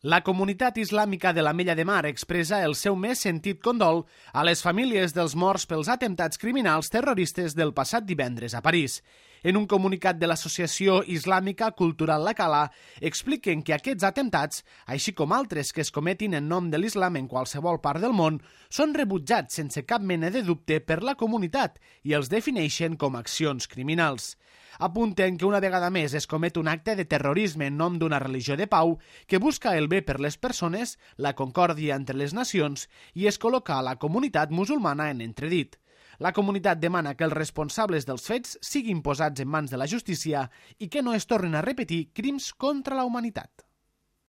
La comunitat islàmica de l'Ametlla de Mar expressa el seu més sentit condol a les famílies dels morts pels atemptats criminals terroristes del passat divendres a París. En un comunicat de l'Associació Islàmica Cultural La Cala, expliquen que aquests atemptats, així com altres que es cometin en nom de l'islam en qualsevol part del món, són rebutjats sense cap mena de dubte per la comunitat i els defineixen com accions criminals. Apunten que una vegada més es comet un acte de terrorisme en nom d'una religió de pau que busca el bé per les persones, la concòrdia entre les nacions i es col·loca a la comunitat musulmana en entredit. La comunitat demana que els responsables dels fets siguin posats en mans de la justícia i que no es tornin a repetir crims contra la humanitat.